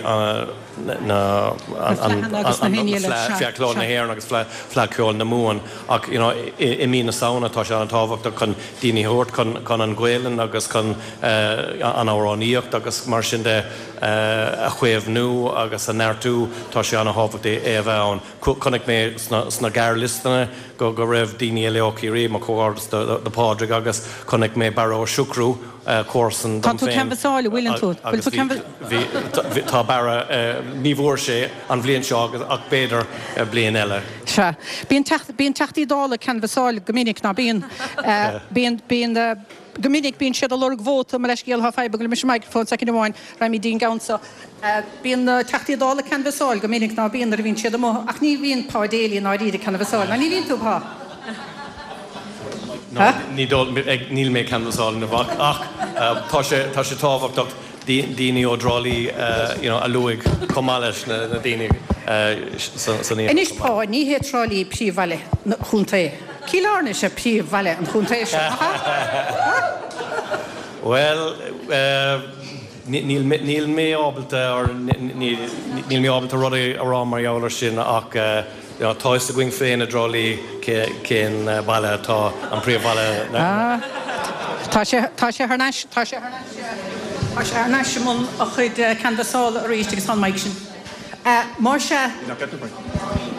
na, an, Fleadh Cheoil na hÉireann agus Fleadh Cheoil na Mumhan ach, you know, i mí na Samhna tá sé an-tábhachtach chun daoine a thabhairt chun, chun an Ghaelainn agus chun an amhránaíocht agus mar sin de. a chaomhnú agus a neartú, tá sé an-thábhachtach é a bheith ann. Chonaic mé sna gearrliostanna go raibh daoine eile ó Chiarraí, mo chomhghairdeas do Phádraig agus chonaic mé Barra Ó Siochrú, comharsan Tá dom tú féin. canbhasáil, an bhfuileann tú? Bhfuil Agus tú canbhas. bhí, bhí, tá Barra, ní bhfuair sé an bhliain seo ach b'fhéidir bliain eile. Sea. Bíonn teacht, bíonn Teachtaí Dála ag canbhasáil go minic, ná bíonn? Bíonn, bíonn. Go minic bíonn siad ag lorg vóta, mo leithscéal, tá fadhb agam leis an microphone, soicind amháin, raghaimid dtí an gceann seo. Bíonn na Teachtaí Dála ag canbhasáil go minic, ná bíonn, nuair a bhíonn siad amuigh, ach ní bhíonn Pa Daly i ndáiríre ag canbhasáil, ná ní bhíonn tú, Pa? No, ní dóigh, níl mé ag canbhasáil inniu ach, ach tá sé, tá sé tábhachtach daoine ó dTrá Lí you know a luaigh chomh maith leis na daoine san iarthar. Anois Pa, ní hé Trá Lí príomhbhaile an chontae. Cill Airne is ea príomhbhaile an chontae seo, nach ea? Bhuel, níl mé ábalta or níl mé ábalta rud a rá mar gheall ar sin ach you know tá fhios againn féin i dTrá Lí cén baile atá an príomhbhaile na. Ah, tá sé, tá sé thar n-ais, tá sé thar n-ais, tá sé thar n-ais i mbun a chuid canbhasála arís agus tá an mic sin. Más ea,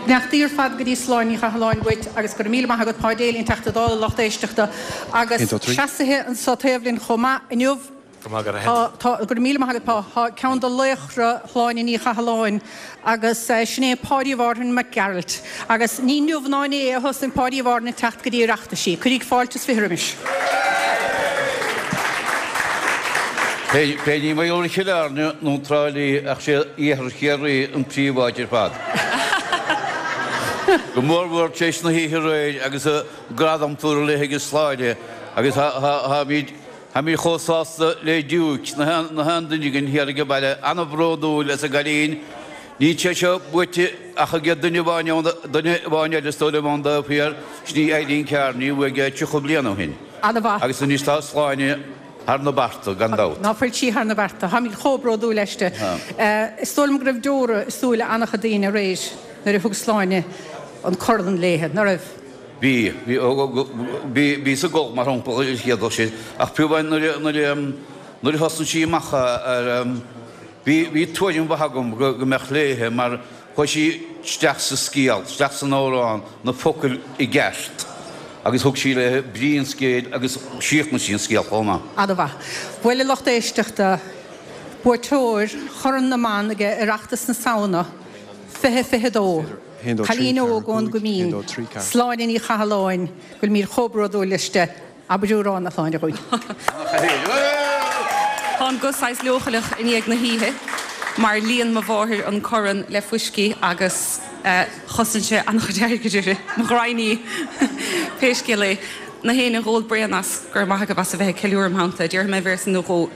beannachtaí ar fad go dtí Sláine Ní Chathalláin dhuit agus go raibh míle maith agat Pa Daly, an Teachta Dála, lucht éisteachta agus seasaithe anso taobh linn chomh maith inniu. Tá, tá, go raibh míle maith agat Pa. Tá ceann de laochra Shláine Ní Chathalláin agus sin é Páidí Mhárthain Mac Gearailt. Agus ní inniu ná inné a thosnaigh Páidí Mhárthain ag teacht go dtí Oireachtaisí. Cuiríg fáilte is 20 roimis. Pé ní mar gheall ar Chill Airne nó Trá Lí ach sé iarthar Chiarraí an príomháit ar fad. Go mór mhór tar éis na hoíche aréir agus an gradam tabhartha léi ag Sláine agus táimid Táimid chomh sásta le Diúic, na haon duine againn thiar ag an baile, an-bhródúil as an gcailín. Níl sé seo buaite ach ag duine amháin ann, duine amháin eile is dóigh liom ón dtaobh thiar, sin í Eileen Kearney a bhuaigh é 30 bliain ó shin. An-mhaith. Agus anois tá Sláine thar na bearta, gan dabht. Ná fuil sí thar na bearta. Táimid chomh bródúil aisti. Is dóigh liom go raibh deora i súile an-chuid daoine aréir nuair a thug Sláine an corn léithe, ná raibh? Bhí, bhí, bhí, bhíos ag gol mar shampla ar an chéad dul síos, ach fiú amháin nuair a, nuair a, nuair a thosnaigh sí amach ar, bhí, bhí tuairim mhaith agam go, go mbeadh léithe mar chuaigh sí isteach sa scéal, isteach san amhrán, na focail i gceart agus thug sí léithe brí an scéil agus chríochnaigh sí an scéal chomh maith. An-mhaith. Bhuel a lucht éisteachta, buaiteoir Chorn na mBan ag Oireachtas na Samhna 2022. Cailín óg ón gCoimín, Sláine Ní Chathalláin, go bhfuilimid chomh bródúil aisti. Abair amhrán, a Shláine, dhúinn. Tá an guth saghas leochaileach i ndiaidh na hoíche mar líon mo mháthair an corn le fuiscí agus chosain sé an-chuid airgid uirthi, mo ghraidhin í, pé scéal é. Na héinne a dh'ól braon as, go raibh maith agaibh as a bheith ag ceiliúradh im theannta, déarfaidh mé véarsa nó dhó.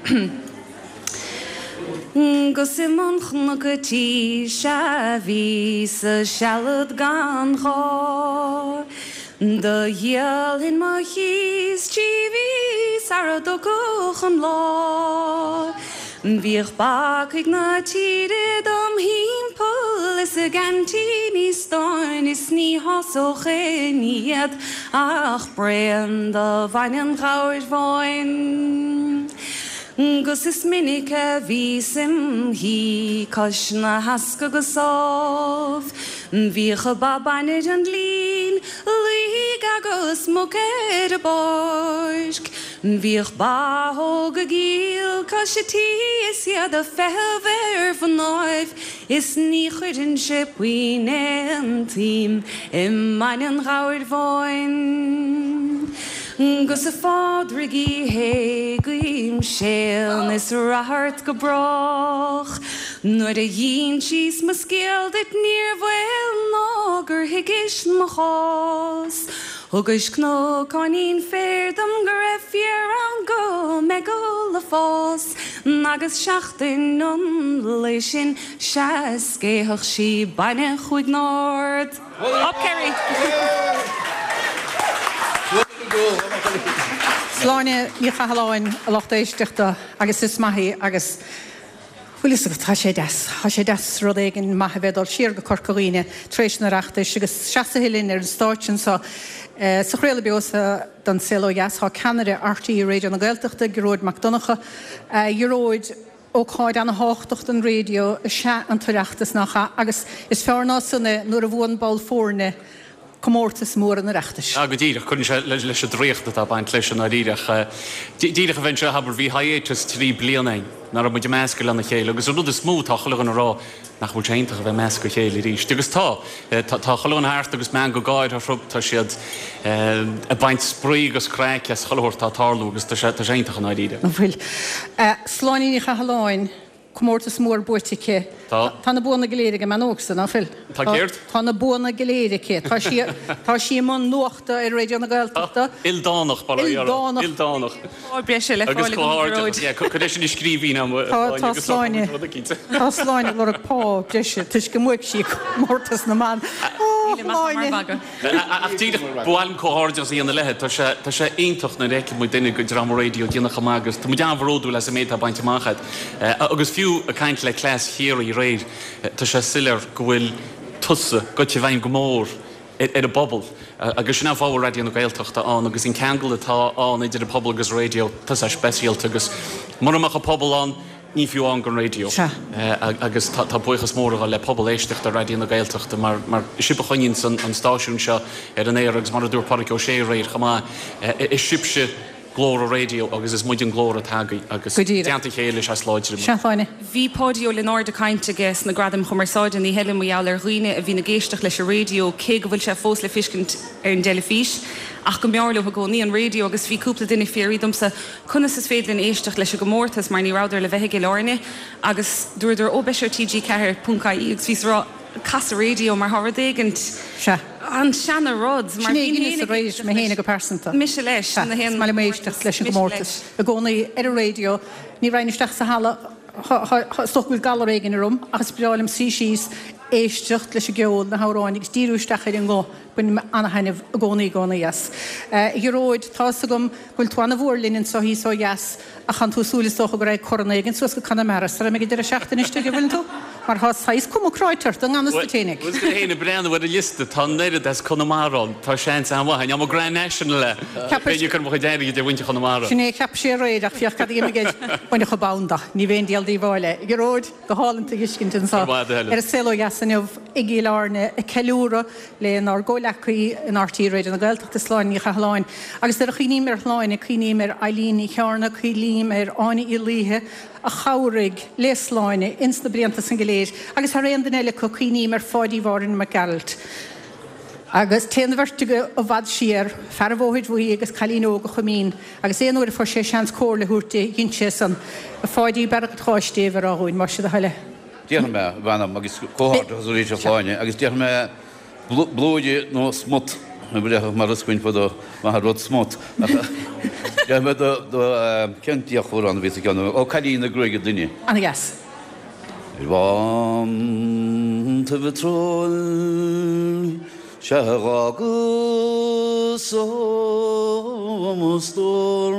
'Gus i mbun chnoc a' tí sea bhíos-sa sealad gan ghá. Do dhíolfainn mo chíos 3 mhí sara dtiocfadh an lá. Bhíodh bacaigh na tíre dom thimpeall is a gceaintíní stáin is ní shásódh aon ní iad ach braon de bhainne an ghabhair bháin. 'Gus is minic a bhíos im shuí cois na heasca go sámh. Bhíodh ba bainne ar an líon, laoigh agus muc ar an bpáirc. Bhíodh ba óg ag iall cois a' tí is iad a' feitheamh ar mhnáibh Is ní chuirfinnse puinn aon tsuim i mbainne an ghabhair bháin. 'Gus a Phádraig Uí Shé, guím séan is rath ort go brách. Nuair a dh'insíos mo scéal duit níor bhaol ná gur thuigis mo chás. Thugais cnocáinín féir dom go raibh féar ann go mbeidh ag fás agus seachtain an lae sin sea scéithfeadh sí bainne chúig n-ard. Up Kerry! Sláine Ní Chathalláin, a lucht éisteachta, agus is maith í agus Bhfuil fhios agat, tá sé deas, tá sé deas rud éigin maith a bheith ag dul siar go Corca Dhuibhne tar éis an Oireachtais agus seasaithe linn ar an stáitse anseo sa chraoladh beo sa don Saol Ó Dheas tá ceannaire RTÉ Raidió na Gaeltachta, Gearóid Mac Donncha. A Ghearóid, ócáid ana-thábhachtach don raidió is ea an tOireachtas, nach ea? Agus is fearr ná san é nuair a bhuann ball foirne comórtas mór an Oireachtais. Ah, go díreach. Cuireann sé leis an draíocht atá ag baint leis i ndáiríre. Ach díreach a bheith anseo, abair, bhí hiatus 3 bliana againn, nach raibh muid ag meascadh lena chéile agus an rud is mó atá chuile dhuine a rá, nach bhfuil sé iontach a bheith ag meascadh a chéile arís. Agus tá. Tá chuile dhuine thart agus meangadh gáire orthu, tá siad ag baint spraoi agus craic as chuile shórt atá ag tarlú agus tá sé iontach i ndáiríre. An bhfuil? Sláine Ní Chathalláin. Comórtas mór buaite aici. Tá. Tá na buanna go léir ag an mbean óg san, ná fuil? Tá céard? Tá na buanna go léir aici. Tá sí, tá sí i mbun nuachta ar Raidió na Gaeltachta. Ildánach, bail ó Dhia orthu. Ildánach. Ildánach. Pá breise le Agus fáil agam, a comhghairdeas. Ghearóid. Yeah, cuir é sin i scríbhinn agam, a Tá, Shláine, tá agus socróidh Sláine, muid rud eicínt. tá Sláine ag lorg pá breise toisc go mbuaigh sí comórtas na mban. Ó, Nílim ach mar Shláine! mhagadh. Ach díreach, ba mhaith liom comhghairdeas a dhéanamh léi. Tá sé, tá sé iontach nuair a fheiceann muid duine go dream raidió ag déanamh chomh maith agus tá muid an-bhródúil as an méid atá bainte amach agat. Agus fiú ag caint le cleas Chiarraí aréir, tá sé soiléir go bhfuil tusa goite i bhfeidhm go mór ar an bpobal agus sin an fáth a bhfuil Raidió na Gaeltachta ann agus an ceangal atá ann idir an pobal agus an raidió, tá sé speisialta agus mura mbeadh an pobal ann, Ní fiú ann don raidió. Agus tá buíochas mór ag dul le pobal éisteachta Raidió na Gaeltachta mar mar sibh a choinníonns an stáisiún seo ar an aer agus mar a dúirt Pádraig Ó Sé aréir chomh maith, is sibhse glór an raidió agus is muid an glór atá agaibh agus Go díreach. i dteannta a chéile is ea is láidre muid. Sea, Shláine. Bhí Páidí Ó Lionáird ag caint aige sna Gradaim Chumarsáide an oíche eile mar gheall ar dhaoine a bhíonn ag éisteacht leis an raidió cé go bhfuil sé fós le feiscint ar an dteilifís ach go mb'fhearr leo i gcónaí an raidió agus bhí cúpla duine ag fiafraí domsa Conas is féidir linn éisteacht leis an gcomórtas mar ní rabhadar le bheith i gCill Airne agus dúradar ó beidh sé ar TG4 ponc ie agus bhíos ag rá cas an raidió mar tá rud éigint Sea. an seana rud mar Sin é bhínn dheineas féin ag aréir, éisteacht mé féin leis go pearsanta. mise leis Sea, na is haon maith liom éisteacht leis an mise gcomórtas leis. i gcónaí ar an raidió. Ní raghainn isteach sa halla, is dócha go bhfuil galar éigin orm ach is breá liom suí síos, éisteacht leis an gceol, na hamhráin agus díriú isteach ar an nguth. Bainim ana-thaitneamh i gcónaí i gcónaí as. A Ghearóid, tá fhios agam go bhfuil tú ana-mhór linn anseo thíos ó dheas ach tánn tú ag súil is dócha go raghaidh corn éigin suas go Conamara sara mbeidh an deireadh seachtaine istigh, an bhfuileann tú? Mar thá saghas cuma cráite ort i ngan fhios duit fhéinig. Bhuel, is mé féin ag breathnú ar an liosta, tá an oiread as Conamara ann, tá seans an-mhaith ann. Tá mo Grand National le, bheinn ag cur mo chuid airgid ar mhuintir Chonamara. Sin é a cheap sé aréir ach féach cad a d'imigh air. Baineadh an bonn de. Ní bheinn diabhal díobháil é. A Ghearóid, go hálainn tú a fheiscint anseo ar an Saol Ó Dheas inniu i gCill Airne ag ceiliúradh lenár gcomhleacaí in RTÉ Raidió na Gaeltachta, Sláine Ní Chathalláin. Agus nuair a chuimhním ar Shláine, cuimhním ar Eileen Ní Chearna, cuimhním ar Áine Uí Laoithe, a chabhraigh le Sláine ins na blianta san go léir, agus thar aon duine eile acu, cuimhním ar Pháidí Mháirín Mac Gearailt. Agus téann an bheirt acu i bhfad siar, fear an Bhóthair Bhuí agus cailín óg a Choimín, agus aon uair a fuair sé seans comhairle a thabhairt di, dhein sé san. A Pháidí, bearracht Cháis Dé a rá dhúinn, más sé do thoil é. Déarfaidh mé, a mh'anam, agus comhghairdeachas arís a Shláine, agus déarfaidh mé blúire nó smut, a bhreathach mar is againn fadó, maith an rud smut, ach déarfaidh mé do cén deoch amhrán a bhí sa gceann, ó Cailín na Gruaige Doinne. Ana dheas. Ar bhántaibh an tsróin sea dh'fhágas mo stór.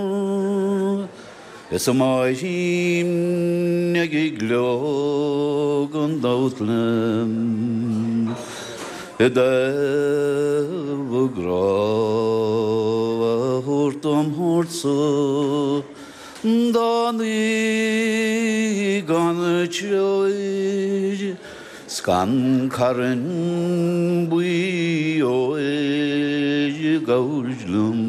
Is a Máirín ag gleo gan dabht liom i dtaobh a grá a thabhairt dom thabhairt-sa dá ní gan treoir 's gan carn buí óir ag gabháil liom.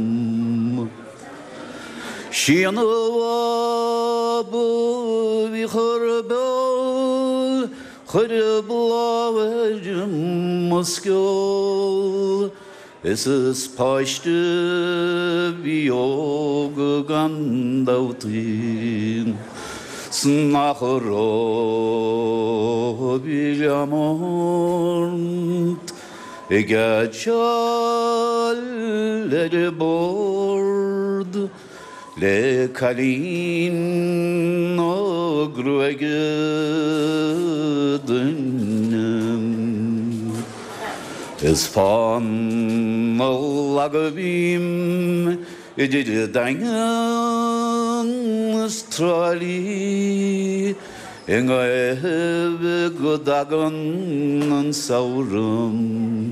Sí an bhab a bhí chur beul, chuir bláth ar mo sceol, Is is páiste bhí óg gan dabht í, 's nach raibh i ort. Ag geáitseáil ar an bord le cailín na gruaige doinne. Is fánach lag a bhím idir an Daingean is Trá Lí i nGaillimh go dtagann an samhradh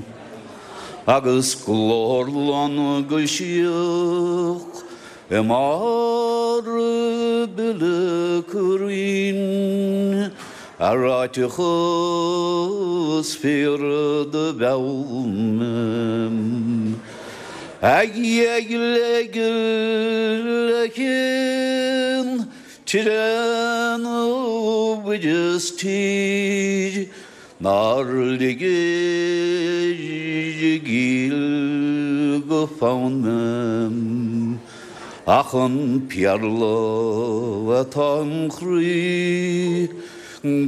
agus glór lon go síoch i mbarr bile crainn a ráiteachas fíor do mheall mé. A gheile gile chinn tire nó mhuireas tír nár ligir i gcill go fonn mé ach an péarla atá im chroí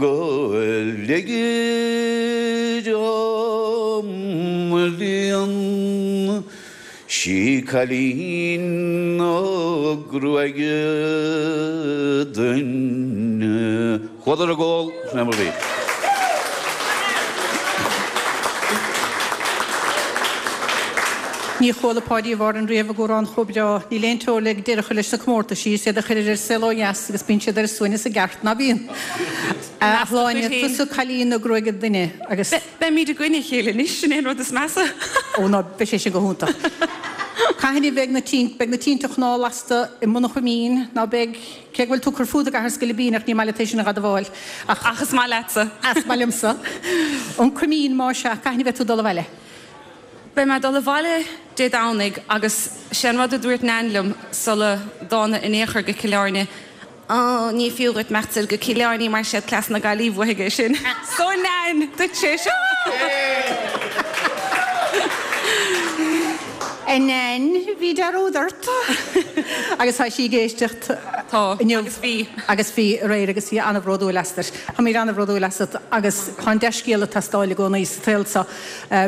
go ligir dom líon Sí cailín na gruaige doinne. Chuadar ag ól, sin é mar bhí. Ní chuala Páidí i bhFárann riamh ag amhrán chomh breá. Níl aon teora le deireadh a chur leis na comórtaisí, is iad a chuirear ar saol ó dheas agus bíonn siad ar a suaimhneas i gceart, ná bíonn? A Shláine, tusa cailín na gruaige doinne agus. Beimid i gcoinne a chéile anois, sin é an rud is measa. Ó ná, beidh sé sin go hiontach. Cathain a bheidh na tinte, beidh na tinte chnámh lasta i mBun an Choimín, ná beidh, cé go bhfuil tú ag cur fút i gCathair Scoilbín ach ní maith leat é sin a dh'admháil. Ach. Ach is maith leatsa. Is maith liomsa. An Coimín, más ea, cathain a bheidh tú ag dul abhaile? Beidh mé ag dul abhaile Dé Domhnaigh agus sé an rud a dúirt Nain liom sula dtána in aon chor go Cill Airne, Ó, ní fiú dhuit imeacht soir go Cill Airne mar siad cleas na Gaillimhe uathu é sin. So Nain, duitse é seo! A Nain, bhí dearúd ort. Agus tá sí ag éisteacht inniu. Agus bhí. Agus bhí aréir agus í an-bhródúil asat. Táimid an-bhródúil asat agus tá an dea-scéal ag teastáil i gcónaí sa tsaol seo.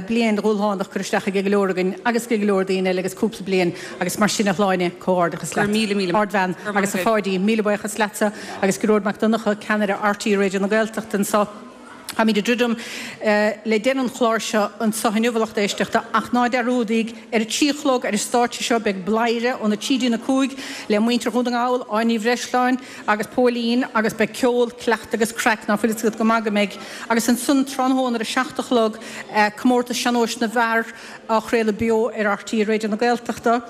Bliain dhúshlánach curtha isteach ag go leor againn agus ag go leor daoine eile agus cúpla bliain agus mar sin a Shláine, comhghairdeachas leat. Ardbhean agus a Pháidí, míle buíochas leatsa agus Gearóid Mac Donncha, ceannaire RTÉ Raidió na Gaeltachta anseo. Táimid ag druidim le deireadh an chláir seo anseo inniu, a lucht éisteachta, ach ná dearúdaíg, ar a 3 a chlog ar an stáitse seo beidh Bladhaire óna 3 dtí'n 5 le muintir Dhún na nGall, Áine Ní Bhreisleáin agus Póilín agus beidh ceol, cleachtadh agus craic, ná fuil fhios agat go maith go mbeidh. Agus ansan tráthnóna ar a 7 a chlog, Comórtas Sean-Nóis na bhFear, á chraoladh beo ar RTÉ Raidió na Gaeltachta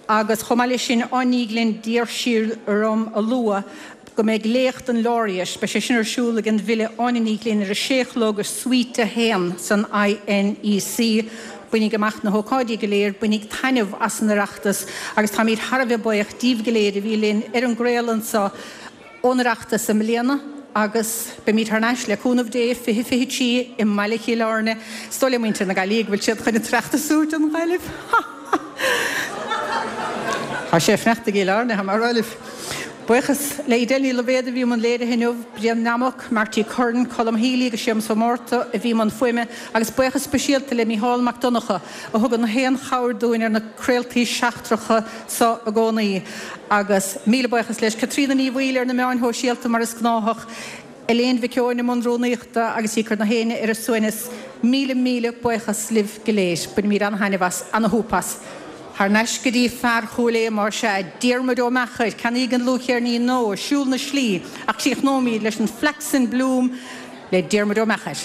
agus chomh maith leis sin Áine Ní Ghlinn d'iarr sí orm a lua go mbeidh Léacht an Laureate, beidh sé sin ar siúl ag an bhfile Áine Ní Ghlinn ar a sé a chlog i Suite 1 san INEC. Bainíg amach na hócáidí go léir, bainíg taitneamh as an Oireachtas agus táimid thar a bheith buíoch díbh go léir a bhí linn ar an gcraoladh anseo ón Oireachtas i mbliana agus beimid thar n-ais, le cúnamh Dé, 2023 i mbaile Chill Airne. Is dóigh le muintir na Gaillimhe go bhfuil siad chun an tOireachtas a thabhairt don Ghaillimh. Ha! Ha! Tá sé ag fanacht i gCill Airne, tá mé ag rá libh. Buíochas le Edel Ní Loibhéad a bhí i mbun léirithe inniu, Brian Nammock, Marty Curran, Colm Healy agus Séamus Ó Márta a bhí i mbun fuaime agus buíochas speisialta le Mícheál Mac Donncha a thugann aon chabhair dúinn ar na craoltaí seachtracha so i gcónaí. Agus míle buíochas leis Caitríona Ní Bhaoill ar na meáin shóisialta mar is gnáthach, Elaine Mhic Eoin i mbun rúnaíochta agus í ag cur na héinne ar a suaimhneas. Míle míle buíochas libh go léir. Bainimid ana-thaitneamh as, ana-shúp as. Thar n-ais go dtí fear Chúil Aodha más ea, Diarmuid Ó Meachair, ceannaígí an dlúthcheirnín nó Siúl na Slí ach críochnóimid leis an Flax in Bloom le Diarmuid Ó Meachair.